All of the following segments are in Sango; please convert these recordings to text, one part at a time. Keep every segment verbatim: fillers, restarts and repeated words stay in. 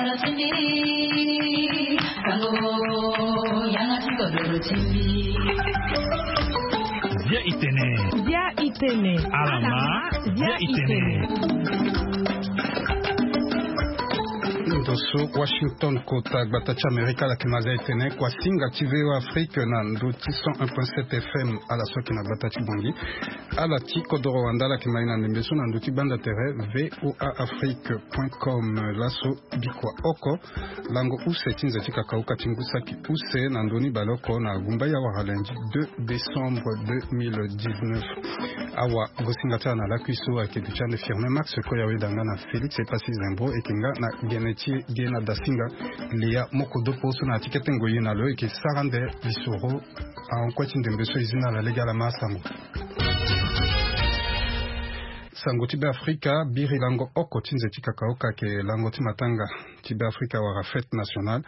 Bia itene. Bia itene. Alama. Bia itene. Ndo so Washington, kota gbata ti Amerika, ala yeke ma zia etene kuasinga ti V O A Afrique na ndo ti cent un point sept F M, ala so ayeke na gbata ti Bangui. Ala ti kodoro wande ala yeke ma ye na ndembe so na ndo ti gbanda tere V O A Afrique point com. Laso bikua oko, lango use ti nze ti kakauka ti ngu saki use na ndö ni baleoko na gumba ya wara lundi deux décembre deux mille dix-neuf. Awa gosinga ti ala na lakui so ayeke duti ande Firmin Max, Koya Wedanga na Félix Epassi Zembro, e yeke nga na gene ti e Diena Dasinga. Lea Mokodopo so na ya ti kete ngoi na lo e yeke sara ande lisoro. Ahon kue ti ndembe so e zi na ala lege, ala ma asango. Sango ti Beafrika. Biri lango oko ti nze ti kakaoka ayeke lango ti matanga ti Beafrika wala fête nationale.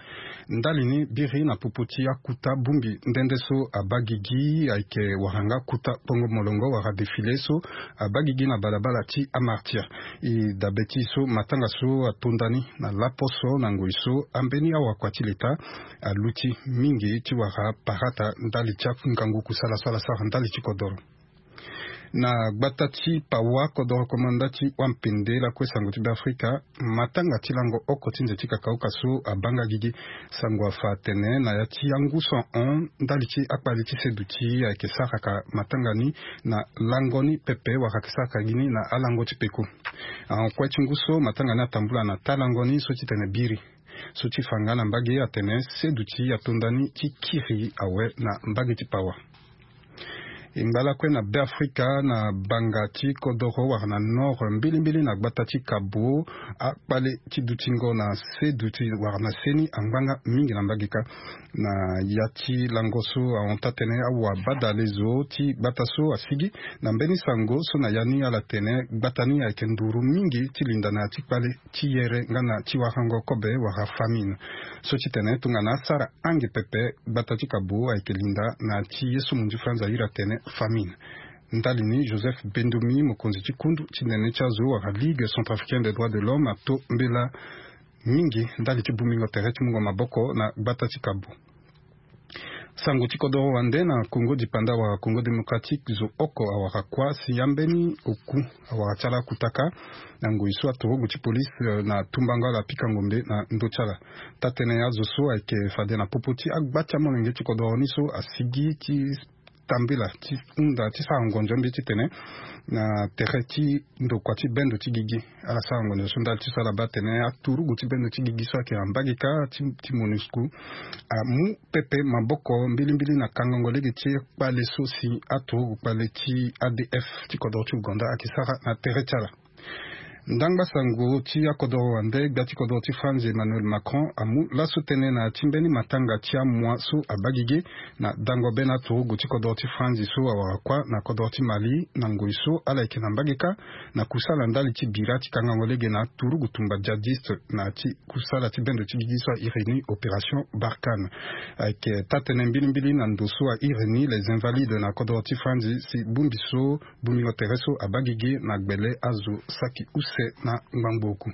Ndali ni biri na popo ti akuta bongbi nde nde so abaa gigi ayeke wara nga kuta kpongo molongo wala défilé so abaa gigi na balabala ti amartyr. E dabe ti e so matanga so atonda ni na laposo na ngoi so ambeni awakua ti leta aluti mingi ti wara parata ndali ti angangu kusala so ala sara ndali ti kodoro. Na gbata ti Pawa, kodoro komanda ti Wampende lakue sango ti Beafrika, matanga ti lango oko ti nze ti kakaoka so abaa nga gigi. Sango afa atene na ya ti angu so ahon ndali ti akpale ti seduti ayeke saraka matanga ni na lango ni pepe wala ayeke saraka gi ni na alango ti peko. Ahon kue ti ngu so matanga ni atambula na taa lango ni so ti tene biri. So ti fa nga na mbage atene seduti atonda ni ti kiri awe na mbage ti Pawa. E ngba lakue na Beafrika na banga ti kodoro wala na nord mbilimbili na gbata ti Kabo, akpale ti dutingo na seduti wala na seni angba nga mingi na mbage kâ. Na ya ti lango so ahon taa-tënë awa badalezo ti gbata so asigi na mbeni sango so na ya ni ala tene gbata ni ayeke nduru mingi ti linda na ya ti kpale ti yere nga na ti warango kobe wala famine. So ti tene tongana asara ange pepe, gbata ti Kabo ayeke linda na ti ye so munzu franza iri atene famine. Ndali ni Joseph Bendomi, mokonzi ti kundu ti nene ti azo wala Ligue Centrafricaine des Droits de l'Homme, ato mbela mingi ndali ti bongbingo tere ti mungo maboko na gbata ti Kabo. Sango ti kodoro wande na Congo Dipanda wala Congo Démocratique, zo oko awara kuâ si ambeni oku awara ti ala akutaka na ngoi so aturugu ti polise, eh, na tumbango ala apika ngombe na ndö ti ala. Taa-tënë ya azo so ayeke fade na popo ti agba ti amolenge ti kodoro ni so asigi ti tambela ti hunda ti sara ngonzo mbi ti tene na tere ti ndokua ti bendo ti gigi. Ala sara ngonzo so ndali ti so ala baa tene aturugu ti bendo ti gigi so ayeke na mbage kâ ti, ti MONUSCO amu pepe maboko mbilimbili na kangango lege ti kpale so si aturugu kpale ti A D F ti kodoro ti Ouganda ayeke sara na tere ti ala. Ndangba sango ti akodoro wande, gbia ti kodoro ti France Emmanuel Macron amu laso tënë na ya ti mbeni matanga ti amua so abaa gigi na dango be na aturugu ti kodoro ti France so awara kuâ na kodoro ti Mali na ngoi so ala yeke na mbage kâ na kusala ndali ti bira ti kangango lege na aturugu tumba djihadiste na ya ti kusala ti bendo ti gigi so airi ni Opération Barkhane. Ayeke taa-tënë mbilimbili na ndo so airi ni Les Invalides na kodoro ti France si bongbi so bongbingo tere so abaa gigi na gbele azo saki use na ngbangbo oku.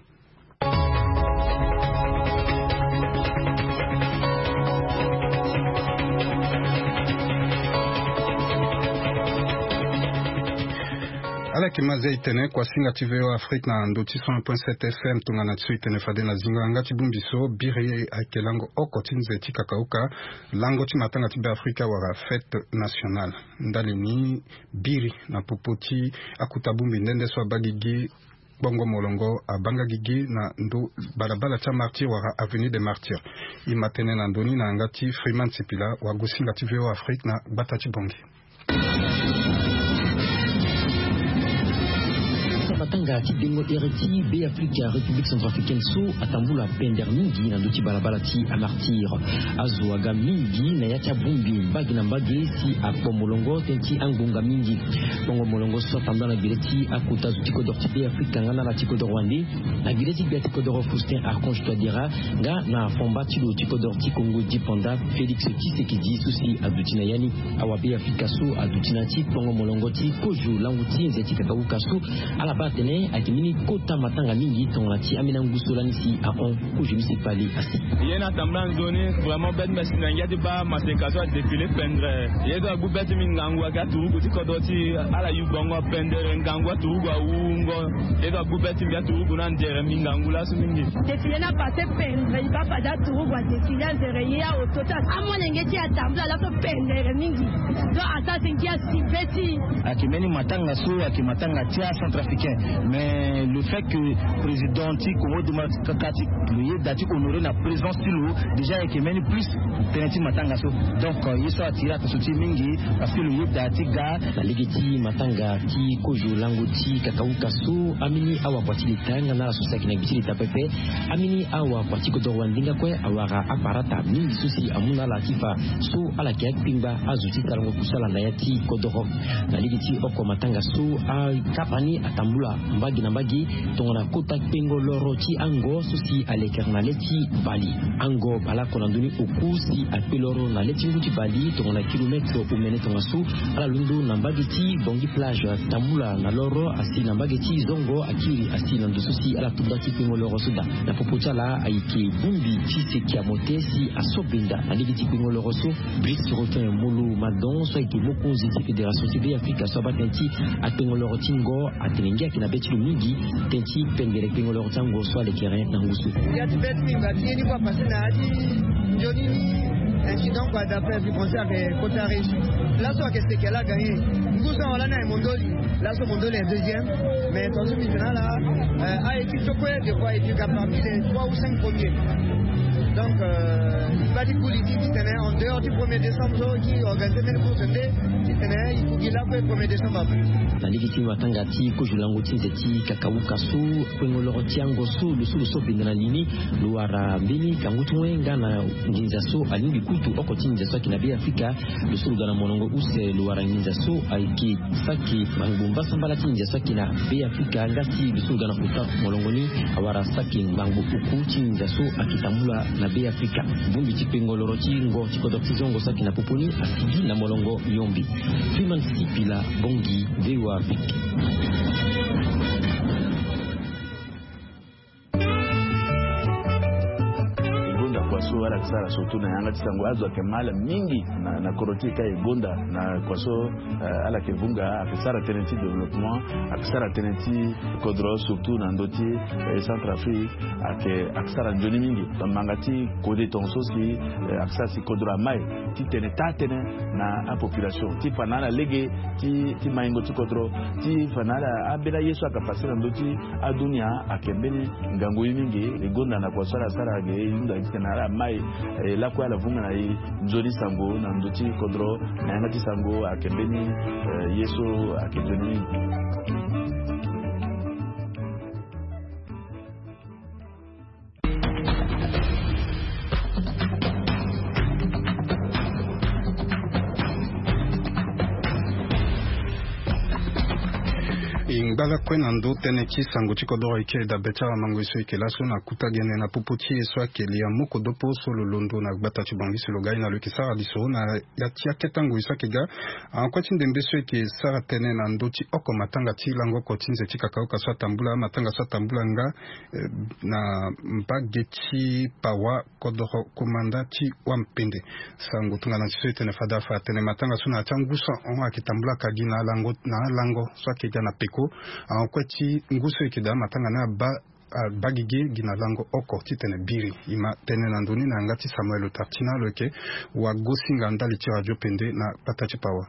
Ala yeke ma zia e tene kuasinga ti V O A Afrique na ndo ti cent un point sept F M, tongana ti so e tene fade na zingo yanga ti bongbi so biri ayeke lango oko ti nze ti kakauka, lango ti matanga ti Beafrika wala fête nationale. Ndali ni biri na popo ti akuta bongbi nde nde so abaa gigi, kpongo molongo abaa nga gigi na ndo balabala ti amartyr wala avenue des Martyrs. E ma tënë na ndo ni na yanga ti Freeman Sipila, wagosinga ti V O A Afrique na gbata ti Bangui. Matanga ti dengo ere ti Beafrika, République Centrafricaine so atambula pendere mingi na ndo ti balabala ti amartyr. Azo aga mingi na ya ti abongbi mbage na mbage si akpo molongo tënë ti angbonga mingi. Kpongo molongo so atambula na gbele ti akota zo ti kodoro ti Beafrika nga na ala ti kodoro wande, na gbele ti gbia ti kodoro Faustin Archange Touadéra nga na fomba ti lo ti kodoro ti Congo Dipanda Félix Tshisekedi so si aduti na ya ni. Awa Beafrika so aduti na ya ti kpongo molongo ti kozo lango ti nze ti kakauka so ala baa Tene ayeke mbeni kota matanga mingi tongana ti ambeni angu so lani si ahon kozo ni si kpali asi. Ye na tambula nzoni vraiment bête mais si na ngia ti baa maseka so adéfilé pendre. Ye so agbu bête mingi ngangu ayeke aturugu ti kodro ti ala yu bongo apendere ngangu aturugu awungo. Ye so agbu bête mbi aturugu na andere mbi ngangu laso mingi. Défilé ni apassé pendre e baa fade aturugu adéfilé andere ye aoto ti amolenge ti atambula laso pendre mingi. Donc asara si ngia si be ti. Ayeke mbeni matanga so ayeke matanga ti acentrafricain. Mais le fait que président ti Congo démocratique lo yeda ti honoré na présence ti lo déjà ayeke mbeni plus tënë ti matanga so. Donc ye so attiré attention ti e mingi parce que lo yeda ti ga. Na lege ti matanga ti kozo lango ti kakauka so, ambeni awakua ti leta nga na ala so si ayeke na gbe ti leta pepe, ambeni awakua ti kodoro wandinga kue awara aparata mingi so si amu na ala ti fa so ala yeke akpengba azo ti sarango kusala na ya ti kodoro. Na lege ti oko matanga so, akapa ni atambula mbage na mbage tongana kota kpengo loro ti ango so si alekere na le ti bali. Ango baleoko na ndoni oku si akpe loro na le ti ngu ti bali tongana kilometre omene tongaso. Ala londo na mbage ti Bangui plage atambula na loro asi na mbage ti zongo akiri asi na ndo so si ala tubda ti kpengo loro so daa. Na popo ti ala ayeke bongbi ti seki amote si aso benda na lege ti kpengo loro so. Brice Rotin Molo Madon so ayeke mokonzi ti fédération ti Be Afrika so abaa tënë ti akpengo loro ti ngo atene ngia ayeke na be ti lo mingi tënë ti pendere kpengo loro ti ango so alekere na ngu so. Ya ti be ti mingi ba ti ye ni kue apase na ya ti nzoni ni. Incident kua d'après bi pensé ayeke kota réussi. Laso ayeke seke ala gagné. Ngu so awa lani ayeke mondoli. Laso mondoli ayeke deuxième. Mais tongaso mbi tene ala aye ti so kue de fois ayeke ga parmi les trois ou cinq premiers. Donc mbi baa ti kuli ti titene en dehors ti premier décembre so ti organisé mbeni course nde titene e ku gi lakue premier décembre ape. Na lege ti matanga ti kozo lango ti nze ti kakauka so kpengo loro ti ango so lo so lo so benda na li ni. Lo wara mbeni kangu ti wen nga na nginza so alingbi kutu oko ti nginza so ayeke na Be Afrika. Lo so lo ga na molongo use lo wara nginza so ayeke saki ngbangbo mbasambala ti nginza so ayeke na Be Afrika nga si lo so lo ga na kota molongo ni awara saki ngbangbo oku ti nginza so ayeke tambula na Be Afrika. Bongbi ti kpengo loro ti ngo ti kodro ti zongo so ayeke na popo ni asigi na molongo yombi. Freeman Sipila, Bangui, V O A Afrique. E gonda kua so ala yeke sara surtout na yanga ti sango azo ayeke ma ala mingi na, na kodro ti e ka e gonda na kua so, eh, ala yeke vunga ayeke sara tënë ti développement, ayeke sara tënë ti kodro surtout na ndö ti, eh, Centrafrique. Ayeke, ayeke sara nzoni mingi. Manga ti kode tongaso si, eh, ayeke sara si kodro amai titene taa tënë na apopulation ti fa na ala lege ti, ti maingo ti kodro, ti fa na ala ambeni aye so ayeke pase na ndö ti adunia. Ayeke mbeni ngangu ye mingi. E gonda na kua so ala sara ge e hunda titene ala mai, eh, lakue ala vunga na e nzoni sango na ndö ti kodro na yanga ti sango ayeke mbeni, eh, ye so ayeke nzoni mingi. E ngba lakue na ndö tënë ti sango ti kodoro e kiri dabe ti awamango e so e yeke laso na kuta gene na popo ti e so ayeke Lia Moko Dopo so lo londo na gbata ti Bangui si lo ga e na lo yeke sara lisoro na ya ti akete ngoi so ayeke ga. Akue ti ndembe so e yeke sara tënë na ndö ti oko matanga ti lango oko ti nze ti kakaoka so atambula, matanga so atambula nga, eh, na mbage ti Pawa, kodoro komanda ti Wampende. Sango tongana ti so e tene fade afa atene matanga so na ya ti angu so ahon ayeke tambula ka gi na alango, na alango so ayeke ga na peko. Akue ti ngu so e yeke daa matanga ni abaa, abaa gigi gi na lango oko titene biri. E ma tene na ndö ni na yanga ti Samuel Otartina lo yeke wagosinga ndali ti radio Pende na gbata ti Pawa.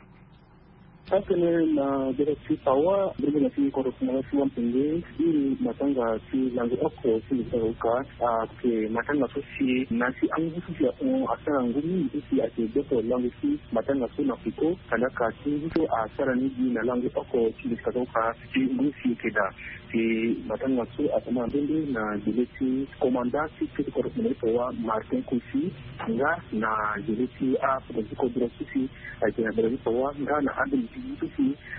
Atene na gbata ti Pawa, ndembe na ti kodro komanda ti Wampende, iri matanga ti lango oko ti nze ti kakaoka ayeke matanga so si na ya ti angu so si ahon asara ngu mingi so si ayeke gboko lango ti matanga so na peko, kandaka ti ngu so asara ni gi na lango oko ti nze ti kakaoka ti ngu si e yeke daa. Ti matanga so atambula na ndembe na gele ti komanda ti kete kodro komanda ti Pawa Martin Kosi, nga na gele ti apoto ti kodro so si ayeke na gbata ti Pawa nga na ambeni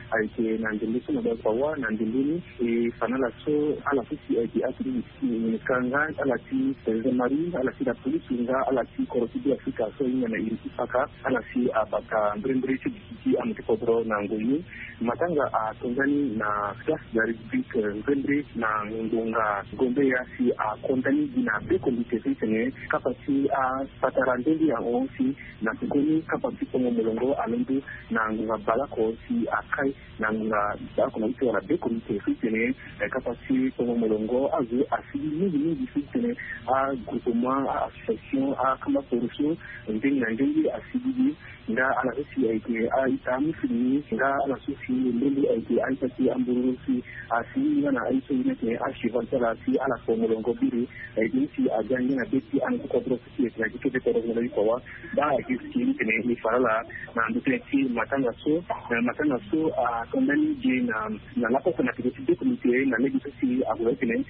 Ayeke na ndembe so na be apawa na ndembe ni. E fa na ala so, ala so si ayeke akiri ngineka nga ala ti président Marie, ala ti la police nga ala ti kodro ti Be Afrika so ahinga na iri ti Paka, ala si abata mbrembre ti duti ti amu ti kodro na ngoi ni. Matanga ato ndani na place de la République, mbrembre na ngonga gombe ya si ako ndani gi na be comité so itene kapa ti apatara nde nde ahon si na koko ni kapa ti tongo molongo alondo na ngonga baleoko si akai na ngonga baleoko na ute wala be comité so itene kapa ti tongo molongo azo asigi mingi mingi so itene agroupement, a-association, akamba poroso ndenge na ndenge asigi gi. Nga ala so si ayeke a-ita amusulu ni nga ala so si ndembe ayeke a-ita ti ambororo si asigi nga na aye so ye ni ayeke acheval ti ala si ala tongo molongo biri. Ayeke ni si aga ngia na be ti anu ti kodro so si ayeke na gi kete kodro na gi pawa. Baa ayeke si ni tene e fa na ala na ndö tënë ti matanga so. Matanga so ato ndani gi na na laposo na peko ti be comité na lege so si ague tene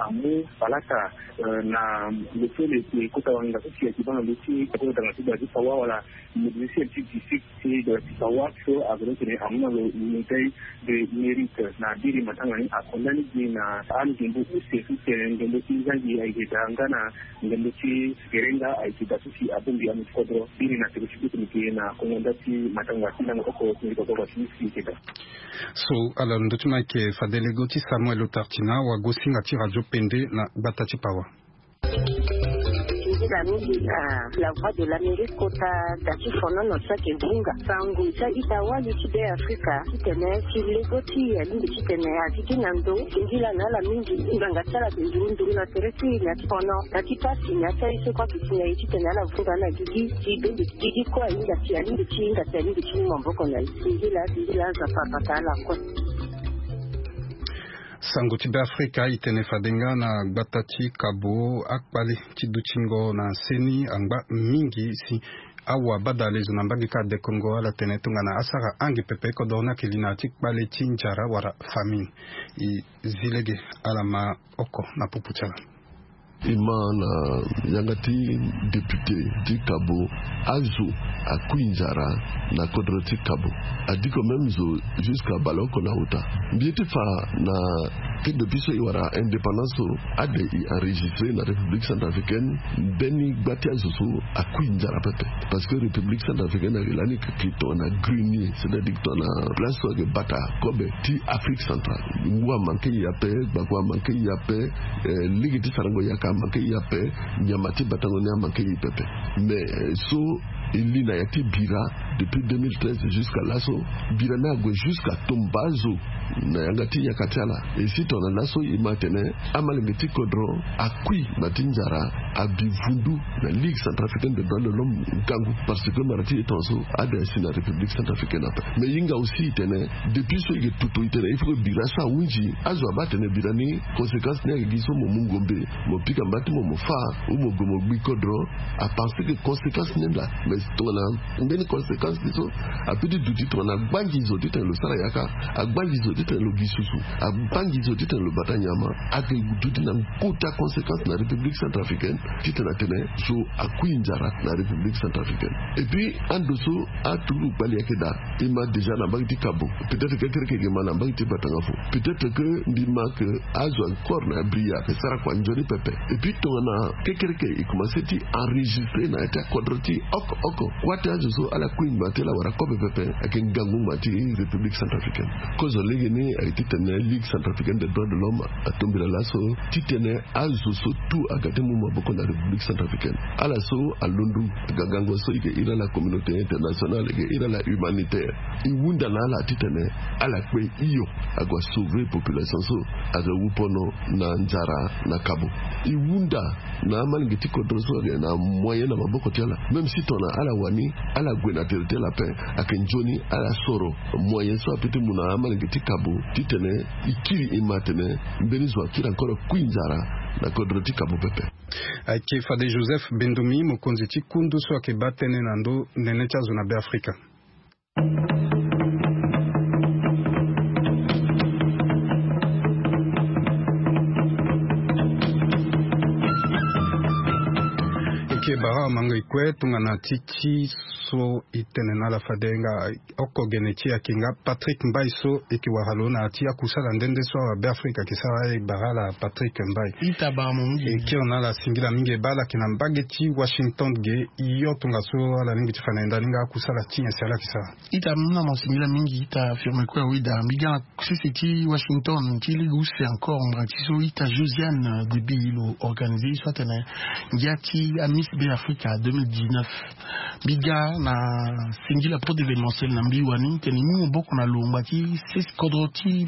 amu palata na lo so lo yeke kota wanga so si ayeke baa na ndö ti kodro danga ti danga ti pawa wala musicien ti district ti danga ti pawa so ague tene amu na lo médaille de mérite na biri matanga ni ato ndani gi na angembo use so tene ngembo ti zangi ayeke daa nga na ngembo ti gerenga ayeke daa so si abongbi amu ti kodro biri na peko ti be comité na kongo nda ti matanga ti ndango oko ti ngi kodro ti si ayeke daa. So ala ndö ti ma ayeke fade lego ti Samuel Otartina wagosinga ti radio Pende na gbata ti pawa. Nzila mingi na la voix de l'Amérique kota da ti fonono so ayeke bunga sango ti a-ita wali ti Be Afrika titene si lego ti e alingbi titene azi gi na ndo. Singila na ala mingi nganga ti ala ayeke nduru nduru na tere ti e na ti fono na ti pasi na ti aye so kue ayeke si na e titene ala vunga na gigi ti bende gigi kue ahinga si alingbi ti hinga si alingbi ti mu maboko na e. Singila singila Nzapa abata ala kue. Sango ti Be Afrika e tene fade nga na gbata ti Kabo akpale ti dutingo na seni angba mingi si awa badale zo na mbage ka adekongo ala tene tongana asara ange pepe kodro ni ayeke li na ya ti kpale ti nzara wala famine. E zi lege ala ma oko na pupu ti ala. E ma na yanga ti député ti Kabo azo akui nzara na kodro ti Kabo. Adiko même zo jusqu'à baleoko na ota. Mbi ye ti fa na ke depuis so e wara indépendance so ade e enregistré na République centrafricaine mbeni gba ti azo so akui nzara pepe. Parce que République centrafricaine ayeke lani ke tongana grenier, c'est-à-dire tongana place so ayeke bata kobe ti Afrique centrale. Ngu amanke e ape, gbako amanke e ape, lege ti sarango yaka amanke e ape, nyama ti batango ni amanke e pepe. Mais so e li na ya ti bira depuis deux mille treize jusqu'à laso, bira ni ague jusqu'à tomba zo na yanga ti yaka ti ala. E si tongana laso e ma atene amalenge ti kodro akui na ti nzara abi vundu na Ligue centrafricaine des droits de l'homme ngangu, parce que mara ti e tongaso ade asi na République centrafricaine ape. Mais e hinga aussi e tene depuis so e yeke toto e tene il faut que bira so ahunzi azo abaa atene bira ni conséquence ni ayeke gi so mo mu ngombe, mo pika mba ti mo mo fâ, ou mo gue mo gbi kodro. Apenser que conséquence ni laa mais tongana mbeni conséquence ni so ape ti duti tongana agbangi zo titene lo sara yaka, agbangi zo titene lo gi susu, agbangi zo titene lo bata nyama, ayeke duti na kota conséquence na République centrafricaine titene atene zo akui nzara na République centrafricaine. Et puis ando so aturugu kpali ayeke daa. E ma déjà na mbage ti Kabo, peut-être kekereke e ma na mbage ti Batangafo. Peut-être que mbi ma que azo encore na bria ayeke sara kua nzoni pepe. Et puis tongana kekereke e commencé ti enregistré na ya ti akodro ti oko oko, kua ti azo so ala kui ngba ti ala wara kobe pepe ayeke ngangu ngba ti République centrafricaine. Kozo lege ni ayeke titene Ligue centrafricaine des droits de l'homme atombela laso titene azo so tout aga ti mu maboko na République centrafricaine. Ala so alondo aga gango so e yeke iri ala communauté internationale, e yeke iri ala humanitaire. E hunda na ala titene ala kpe hio ague asauver population so azo wu pono na nzara na Kabo. E hunda na amalenge ti kodro so ayeke na moyen na maboko ti ala, même si tongana ala wani ala gue na tere ti ala ape, ayeke nzoni ala soro moyen so ape ti mu na amalenge ti Kabo titene e kiri e ma atene mbeni zo akiri encore kui nzara na kodro ti Kabo pepe. Ayeke fade Joseph Bendomi, mokonzi ti kundu so ayeke baa tënë na ndö nene ti azo na Be Afrika. E E bara mango e kue tongana ti ti so e tene na ala fade nga oko gene ti e ayeke nga Patrick Mbaye so e yeke wara lo na ya ti akusala nde nde so awa Beafrika ayeke sara. E bara ala Patrick Mbaye. Ita bara mo mingi. E kiri na ala singila mingi e baa ala yeke na mbage ti Washington ge. Yo tongaso ala lingbi ti fa na e ndani nga akusala ti nyen si ala yeke sara? Ita muna mo singila mingi ita firme kue awe daa mbi ga na sese ti Washington ti lege use encore ngbanga ti so ita Josiane Debi lo organise so atene ngia ti aMiss Beafrika deux mille dix-neuf. Mbi ga na singila pro d'événementiel na mbi wani tene e mu maboko na lo ngbanga ti sese kodro ti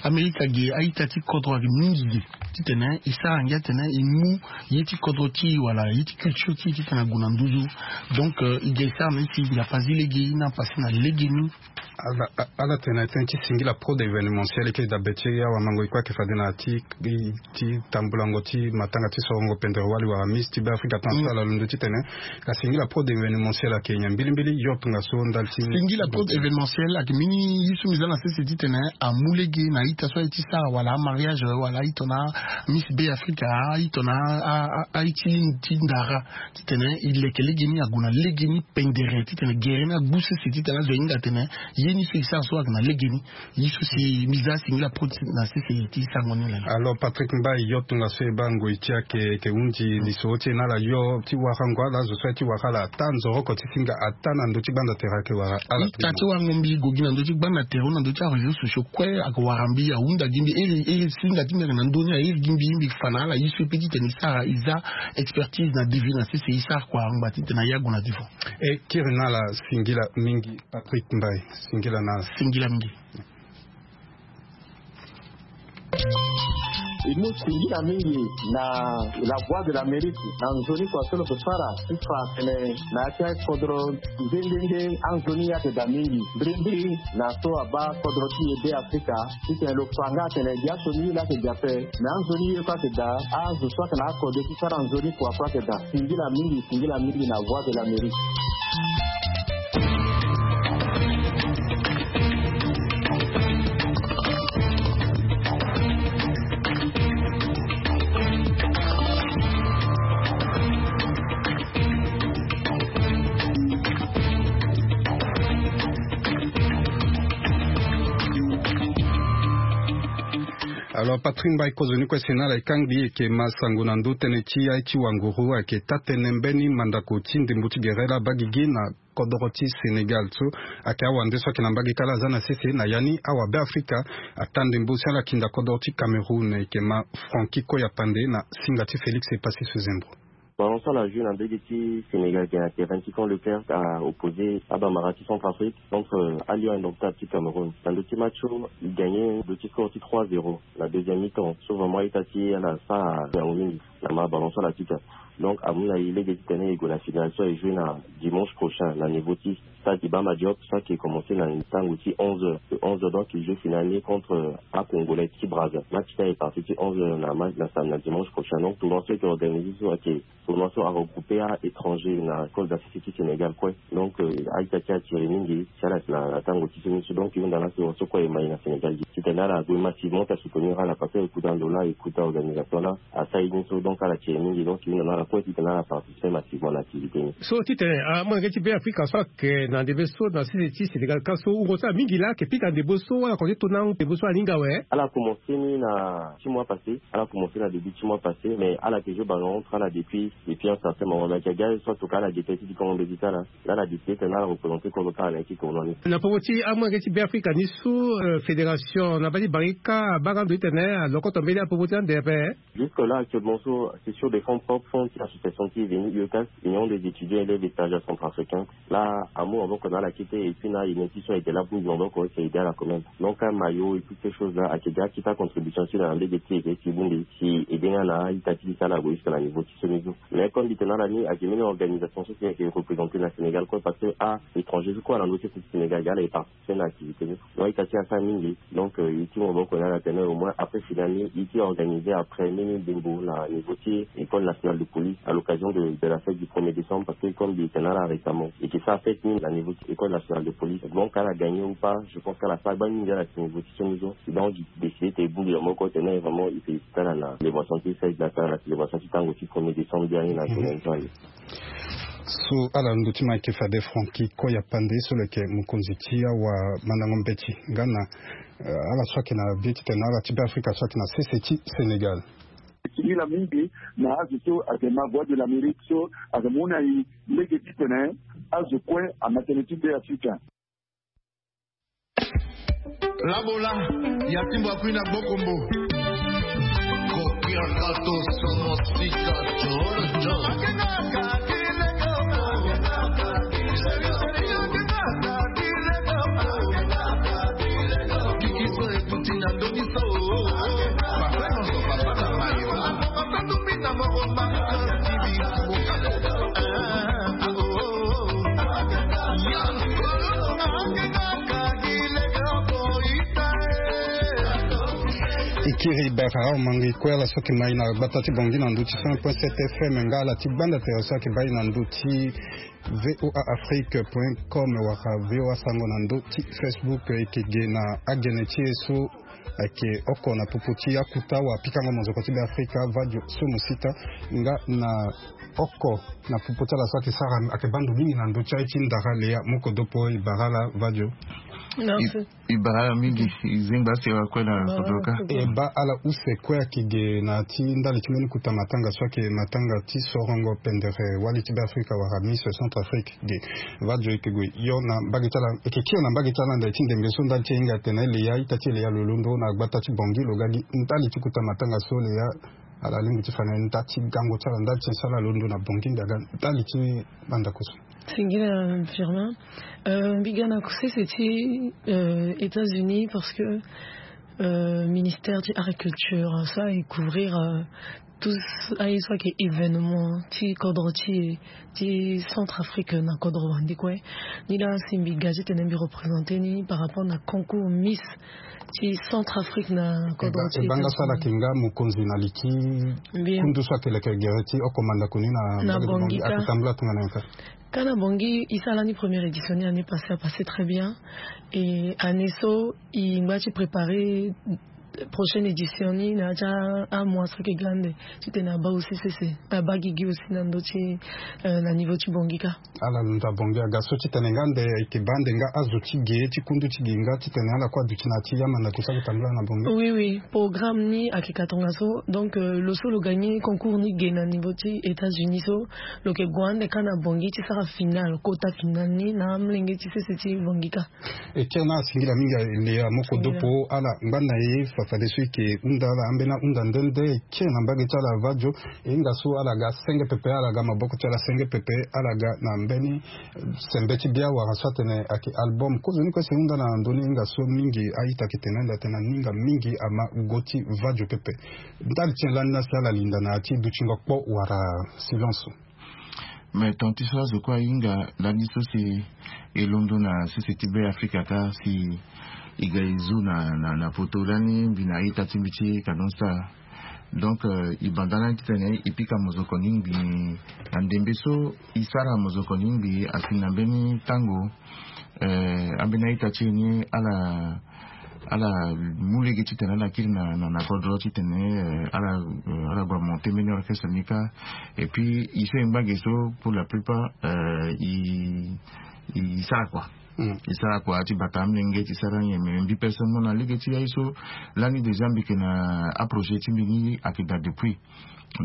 Amerika ge a-ita ti kodro ayeke mingi ge titene e sara ngia tene e mu ye ti kodro ti e wala ye ti culture ti e titene ague na nduzu. Donc e ga e sara na e si ngia pazi lege na pase na legeni. Ala tene na tënë ti singila pro d'événementiel e yeke dabe ti awamango e kue ayeke fade na ya ti tambulango ti matanga ti sorongo pendere wali wala Miss ti Beafrika tongaso ala londo titene ka singila pro d'événementiel ayeke nyen mbilimbili yo tongaso ndali ti singila pro d'événementiel ayeke mbeni ye so mbi za na sese titene amu lege na a-ita so aye ti sara wala amariage wala a-ita na Miss Beafrika a-ita na a-ita ti ndara titene e leke legeni ague na legeni pendere titene gere ni agbu sese titene azo ahinga atene ye ni so e sara so ayeke na legeni. Ye so si mbi za singila pro na sese ti sango ni lala. Alors Patrick Mbaye yo tongaso e baa ngoi ti ayeke hunzi lisoro ti e na ala yo ti wara ngoi ala azo so aye ti wara ala ata nzoroko ti singa ata na ndö ti gbanda tere ayeke wara ala. Ita ti warango mbi gue gi na ndö ti gbanda tere na ndö ti aréseau sociaux kue ayeke wara mbi ahunda gi mbi iri singa ti mbi ayeke na ndö ni airi gi mbi mbi fa na ala ye so e pe titene e sara e za expertise na devis na sese e sara kua angba titene aye ague na devant. E kiri na ala singila mingi Patrick Mbaye. Singila na ala. Singila mingi. E mu singila mingi na La Voix de l'Amérique na nzoni kua so lo yeke sara ti fa atene na ya ti akodro nde nde nde anzoni ayeke daa mingi mbirimbiri na so abaa kodro ti e Beafrika titene lo fa nga atene gi aso ni ye laa ayeke daa ape. Me anzoni ye kue ayeke daa azo so ayeke na akode ti sara nzoni kua kue ayeke daa. Singila mingi singila mingi na Voix de l'Amérique. Alors Patrick Mbaye kozoni kue si na ala e kangbi e yeke ma sango na ndö tënë ti aye ti wanguru ayeke taa-tënë mbeni mandako ti ndembo ti gere laa abaa gigi na kodoro ti Sénégal so ayeke awande so ayeke na mbage kâ laa aza na sese na ya ni awabeafrika ataa ndembo si ala kinda kodoro ti Cameroun e yeke ma Francky Koya Pandé na singa ti Félix Epassi Sezembro. Ballon so ala joue na mbege ti Sénégal ayeke na terrain ti Camp Leclerc a opposé abambara ti Centrafrique contre Al Lion Indomptable ti Cameroun. Na ndö ti match so e gagné ndö ti score ti trois zéro na deuxième mi-temps so vraiment a-ita ti e ala sara ngangu mingi na ma ballon so ala ti ta. Donc amu na e lege titene e gue na finale so e joue na dimanche prochain na niveau ti stade Iba Mar Diop so ayeke commencé na ntango ti onze heures. De onze heures donc e joue finale ni contre a Congolais ti Brazza. Match ni ayeke parti ti onze heures na match na samedi na dimanche prochain. Donc tournoi so ayeke organisé so ayeke tournoi so a regroupé a étranger na cause d'Afrique ti Sénégal kue. Donc a-ita ti e attiré mingi si ala yeke na tango ti so ni so. Donc e hunda laso so kue e ma e na Sénégal gi titene ala gue massivement ti asoutenir ala parce que e kota ndo laa e kota organisation laa asara ye ni so. Donc ala attiré mingi donc e hunda na ala kue titene ala participer massivement na activité ni. So titene amolenge ti Beafrika so ayeke na ndembe so na sese ti Sénégal kâ so wungo so ala mingi laa ayeke pika ndembo so wala kode ti to na ndembo so ala hinga awe. Ala commencé ni na ti mois passé. Ala commencé na début ti mois passé mais ala yeke joue ballon entre ala depuis depuis un certain moment. Mais ayeke ga so atoka ala ge tënë ti di kongo mbeti ti ala. Laa ala décidé titene ala représenté kodro ti ala na ya ti tournoi ni. Na popo ti amolenge ti Beafrika ni so fédération na baa ti bangi kâ abaa nga ndo titene alokoto mbeni apopo ti ande ape. Jusque là actuellement so c'est sur des fonds propres, fonds ti association ti e venu UECAS, Union des étudiants élèves et stagiaires centrafricains. Laa amu maboko na ala kete et puis na ayen ti so ayeke laa bongbi maboko si aidé ala quand même. Donc amaillot et toutes ces choses là ayeke ga ti ta contribution ti e na lege ti e si e bongbi si e aidé nga na a-ita ti e si ala gue jusque na niveau ti so ni so. Mais comme mbi tene na ala ni ayeke mbeni organisation so si ayeke représenté na Sénégal kue parce que a étranger so kue ala na ndö ti sese ti Sénégal ga ala e participer na activité ni. Donc a-ita ti e asara mingi. Donc e ti mu maboko na ala tene au moins après finale ni e ti organisé après mbeni ndembo na niveau ti école nationale de police à l'occasion de de la fête du premier décembre parce que comme mbi tene na ala récemment e yeke sara fête ni na niveau ti école nationale de police. Donc ala gagné ou pas je pense que ala sara gbani mingi ala ti niveau ti so ni so. Donc e décidé tene e bongbi maboko tene vraiment e félicité ala na célébration ti fête na tara na célébration ti tango ti premier décembre. So ala ndo ti ma yeke fade Francky Koya Pandé so lo yeke mokonzi ti awamandango mbeti nga na ala so ayeke na bie titene ala ti Beafrika so ayeke na sese ti Sénégal. Singila mingi na azo so ayeke ma Voix de l'Amérique so ayeke mu na e lege titene azo kue ama tënë ti Beafrika. Labola ya timbo akui na gbokombo. Kokiakato somo sika jolo jolo. Kikiso ekuti na ndongi so. Papa nyonso papa na mayo. Papa tumbi na moko mama. Ikiri bara mangi kue ala so yeke mai na gbata ti Bangui na ndö ti cent point sept F M nga ala ti gbanda tere so ayeke baa e na ndö ti V O A Afrique point com wala V O A Sango na ndö ti Facebook. E yeke ge na agene ti e so ayeke oko na popo ti akuta wala pikango mozoko ti Beafrika, Vadio Somo Sita, nga na oko na popo ti ala so ayeke sara ayeke baa ndo mingi na ndö ti aye ti ndara Lea Mokodopo. E bara ala Vadio. Merci. E bara ala mingi. E zengba asewa kue na kodro ka. E baa ala use kue ayeke ge na ti ndali ti mbeni kuta matanga so ayeke matanga ti sorongo pendere wali ti Beafrika wala Miss Centrafrique. Ge Vadio, e yeke gue yo na mbage ti ala, e yeke kiri na mbage ti ala ande ti ndembe so ndali ti e hinga atene Lea, ita ti Lea lo londo na gbata ti Bangui lo ga gi ndali ti kuta matanga so Lea ala lingbi ti fa na e nda ti gango ti ala ndali ti e so ala londo na Bangui nda ga ndali ti bandako so. Singila Firmin. Euh, mbi ga na kusese ti euh, États-Unis parce que euh, ministère ti agriculture so aye couvrir euh, tous aye so ayeke événement ti kodro ti ti Centrafrique na kodro wande kue. Ni laa si mbi ga titene mbi représenter ni par rapport na concours Miss ti Centrafrique na kodro ti e baa nga so ala yeke nga mokonzi na li ti kundu so ayeke leke gere ti oko mandako ni na Bangui, ayeke tambula tongana nyen ka? Ka na Bangui e sara ni première édition ni année passée, a passé très bien. Et année so e ngba ti préparer prochaine édition ni na ya ti amois so ayeke ga ande titene abaa aussi sese, abaa gigi aussi na ndö ti euh, na niveau ti Bangui ka. Ala lo nda Bangui aga so titene nga ande ayeke baa ande nga azo ti ge ti kundu ti ge nga titene ala kue aduti na ya ti amandako so ayeke tambula na Bangui. Oui, oui, programme ni ayeke ka tongaso. Donc euh, lo so lo gagner concours ni ge na niveau ti États-Unis so, lo yeke gue ande ka na Bangui ti sara finale, kota finale ni na amolenge ti sese ti Bangui ka. E kiri na ala singila mingi, Lea Mokodopo. Ala ngba na e fa fadeso e yeke hunda ala ambeni ahunda nde nde e kiri na mbage ti ala Vadio. E hinga so ala ga senge pepe, ala ga maboko ti ala senge pepe, ala ga na mbeni sembe ti bia wala so atene ayeke album. Kozoni kue si e hunda na ndö ni, e hinga so mingi a-ita ayeke tene ande atene aninga mingi ama go ti Vadio pepe. Ndali ti nyen lani la si ala linda na ya ti dutingo kpo wala silence? Mais tant ti so azo kue ahinga lani so si e londo na sese ti Beafrika ka si e ga e zu na, na, na poto lani mbi na a-ita ti mbi ti Canon Star. Donc euh, e banda lani titene e pika mozoko ni ngbii na ndembe so e sara mozoko ni ngbii asi na mbeni tango. Euh, ambeni a-ita ti e ni ala ala mu lege titene ala kiri na, na, na kodro titene euh, ala euh, ala gue monter mbeni orchestre ni ka. Et puis e so e ngba ge so pour la plupart euh, e e sara kua. Mm. E sara kua ti bata amolenge ti sara nyen, mais mbi personnellement na lege ti aye so lani déjà mbi yeke na aprojet ti mbi ni ayeke daa depuis.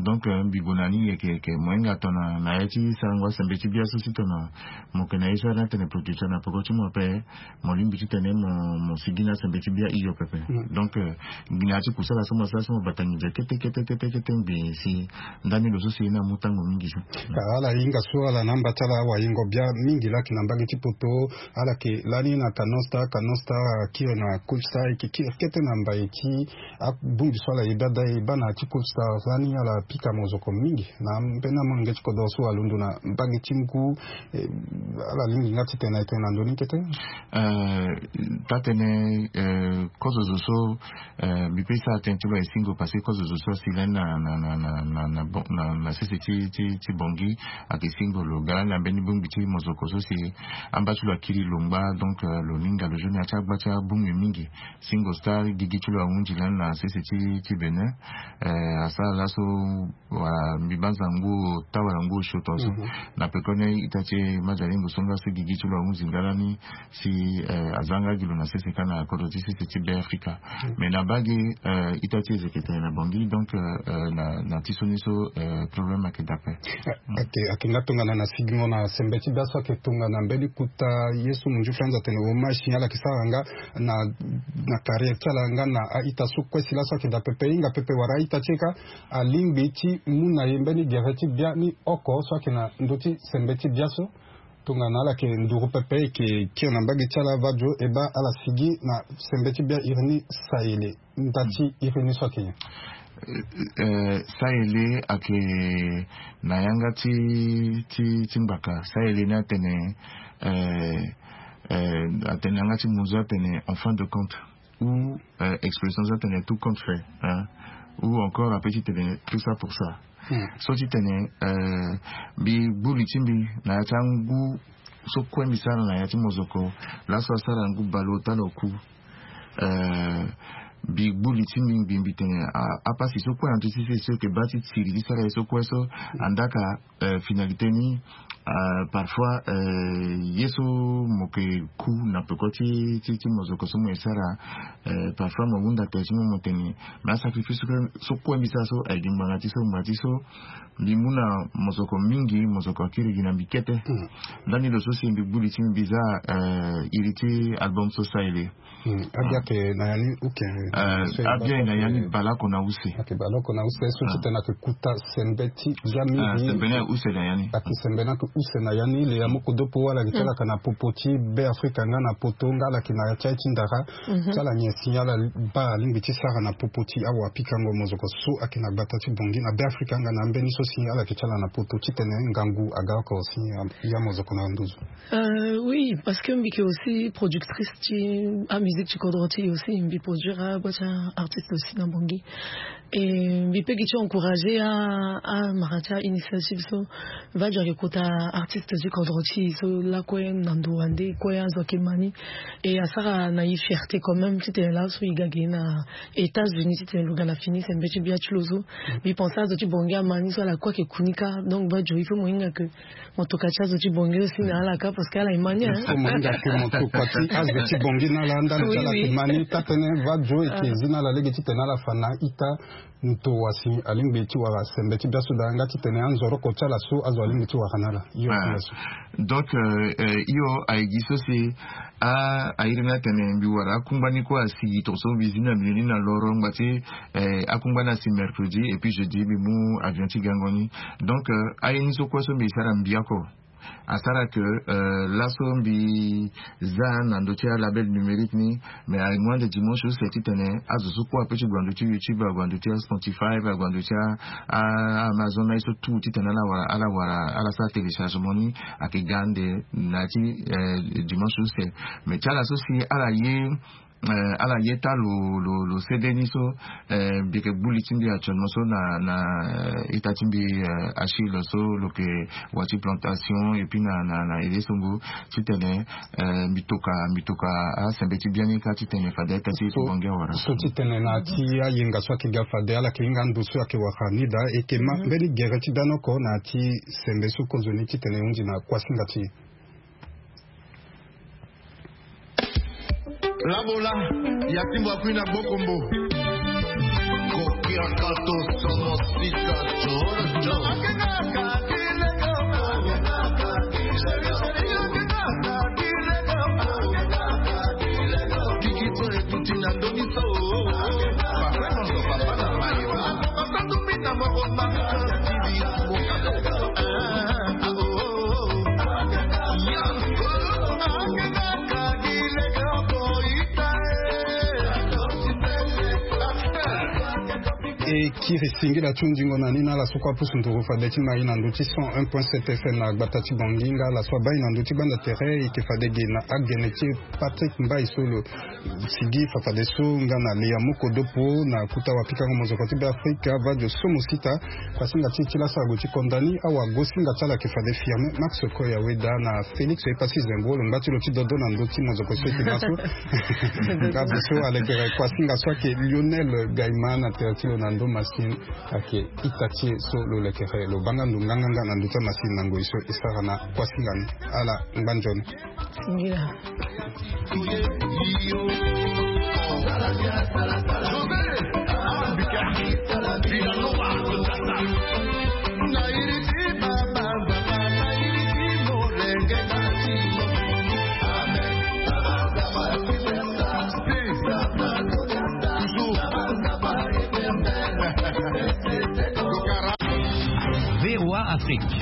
Donc euh, mbi gue na ni yeke yeke mo hinga tongana na ya ti sarango asembe ti bia so si tongana mo yeke na ye so ala ni atene producteur na peko ti mo ape, mo lingbi titene mo mo sigi na asembe ti bia hio pepe. Mm. Donc euh, ngbene ya ti kusala so mo sara so mo bata nginza kete kete kete kete ngbii si ndani lo so si ye ni amu tango mingi so. Ka ala hinga so ala na amba ti ala awahingo bia mingi laa ayeke na mbage ti poto. Ala yeke lani na Canon Star, Canon Star akiri na Cool Star, e yeke kiri kete na mbai ti abongbi so ala yeda daa e baa na ya ti Cool Star lani ala pika mozoko mingi na mbeni amolenge ti kodro so alondo na mbage ti ngu. Eh, ala lingbi nga titene na e tene na ndö ni kete. Euh, taa-tënë euh, kozo zo so euh, mbi pe sara tënë ti lo aye singo parce que kozo zo so asi lani na na na na na na bon na na sese ti ti ti Bangui ayeke singo lo ga lani na mbeni bongbi ti mozoko so si amba ti lo akiri lo ngba. Donc euh, lo ni nga lo zo na ya ti agba ti abongbi mingi. Singo Star gigi ti lo ahunzi lani na sese ti ti Bénin. Euh, asara laso wala mbi baa zango ota wala ngu osio tongaso. Na pekoni ita ti e Major Lingo so nga so gigi ti lo ahunzi nga lani si aza nga gi lo na sese kâ na kodro ti sese ti Be Afrika. Mais na bage ita ti e ezeke tene na Bangui, donc na ti so ni so problème ayeke dape. Ayeke nga tongana na sigingo na sembe ti bia so ayeke tongana mbeni kota ye so mondiou flanz atene hommage si ala yeke sara nga na carrière ti ala nga na a-ita so kue si laso ayeke daa pepe hinga pepe wala a-ita ti e kâ. Alingbi ti mu na e mbeni gere ti bia ni oko so ayeke na ndö ti sembe ti bia so. Tongana ala yeke nduru pepe e yeke kiri na mbage ti ala vadio e baa ala sigi na sembe ti bia iri ni. Sayele nda ti iri ni so ayeke nyen? Sayele ayeke na yanga ti ti ti ngbaka. Sayele ni atene atene yanga ti munzu atene en fin de compte ou expression so atene tout compte fait, ou encore ape ti tene tout ça pour ça. So ti tene mbi gbu li ti mbi na ya ti angu so kue mbi sara na ya ti mozoko. Laso asara ngu baleota na oku. Mbi gbu li ti mbi ngbi mbi tene apasi so kue na ndö ti sese so yeke baa ti siri ti sara ye so kue so. Andaka finalité ni parfois ye so mo yeke ku na peko ti ti ti mozoko so mo ye sara. Parfois mo hunda tere ti mo mo tene mais asacrifice so kue mbi sara so aye gi ngbanga ti so ngbanga ti so. Mbi mu na mozoko mingi mozoko akiri gi na mbi kete. Ndani lo so si mbi gbu li ti mbi mbi za iri ti album so Sayele. Abia ayeke na ya ni uke? Abia ayeke na ya ni baleoko na use. Ayeke baleoko na use so ti tene ayeke kuta sembe ti bia mingi. Sembe ni ayeke use na ya ni. Ayeke sembe ni ayeke use na ya ni le ya moko dopo ala yeke ti ala yeke na popo ti Be Afrika nga na poto nga ala yeke na ya ti aye ti ndara. Ti ala nyen si ala baa alingbi ti sara na popo ti awapikango mozoko so ayeke na gbata ti Bangui na Be Afrika nga na ambeni so si ala yeke ti ala na poto ti tene ngangu aga oko si ya mozoko na nduzu. Oui, parce que mbi yeke aussi productrice ti amusique ti kodro ti e aussi mbi produire agba ti artiste aussi na Bangui. Et mbi pe gi ti encourager amara ti ainitiative so. Vadio ayeke kota artiste ti kodro ti e so lakue na ndo wande kue azo ayeke ma ni. Et asara na e fierté quand même titene laso e ga gi na États-Unis titene lo ga na fini sembe ti bia ti lo so. Mbi pense azo ti Bangui ama ni so ala kue ayeke ku ni kâ. Donc vadio il faut mo hinga ke motoka ti azo ti Bangui aussi na ala kâ parce que ala ye ma ni. Mo hinga ke motoka ti azo ti Bangui na ala ndani ti ala ke ma ni taa tënë vadio e ke zi na ala lege titene ala fa na ita. Nto wa si alingbi ti wara sembe ti bia so daa nga titene anzoroko ti ala so azo alingbi ti wara na ala. Yo. Donc yo aye gi so si a airi ni atene mbi wara akungba ni kue asigi tongaso mbi zi na mbi ni na loro ngba ti akungba ni asi mercredi et puis jeudi mbi mu avion ti gango ni. Donc aye ni so kue so mbi sara mbi oko asara ke laso mbi za na ndö ti alabel numérique ni. Mais aye mu ande dimanche use titene azo so kue ape ti gue na ndö ti YouTube ague na ndö ti aspotify ague na ndö ti aamazon na ye so tout titene ala wara ala wara ala sara téléchargement ni. Ayeke ga ande na ya ti dimanche use. Mais ti ala so si ala ye ala ye taa lo lo lo cd ni so. Mbi yeke gbu li ti mbi actuellement so na na ita ti mbi achille so lo yeke wa ti plantation et puis na na na ele songo titene mbi toka mbi toka asembe ti biani kâ titene fade ita ti ti bonge awara so titene na ti ayenga so ayeke ga fade ala yeke hinga ando so ayeke wara ni daa e yeke ma mbeni gere ti dani oko na ya ti sembe so kozoni titene e hunzi na kuasinga ti e. Labola ya timbo akui na gbokombo. Kokiakato sono sika jojo. Kikito etuti na ndomiso. Papa na mama. Papa tumbi na moko mama. E kiri singila ti hundingo na ni na ala so kue apusu nduru fade ti mai na ndö ti cent un point sept F M na gbata ti Bangui nga ala so abaa e na ndö ti gbanda tere e yeke fade ge na agene ti e Patrick Mbaye so lo sigi fa fade so nga na le ya moko dopo na kuta wapikango mozoko ti Beafrika vadio so mo sita. Kuasinga ti e ti laso ague ti konda ni awagosinga ti ala ayeke fade Firmin Max Koya Weda na Félix Epassi Zengro lo ngba ti lo ti dodo na ndö ti mozoko so e yeke ma so. Nga azo so alekere kuasinga so ayeke Lionel Gaima na tere ti lo na ndo. Masini. Ake ita ti e so lo lekere lo banga ndo nganganga na ndo ti amasini na ngoi so e sara na kuasinga ni. Ala ngba nzoni. V O A Afrique.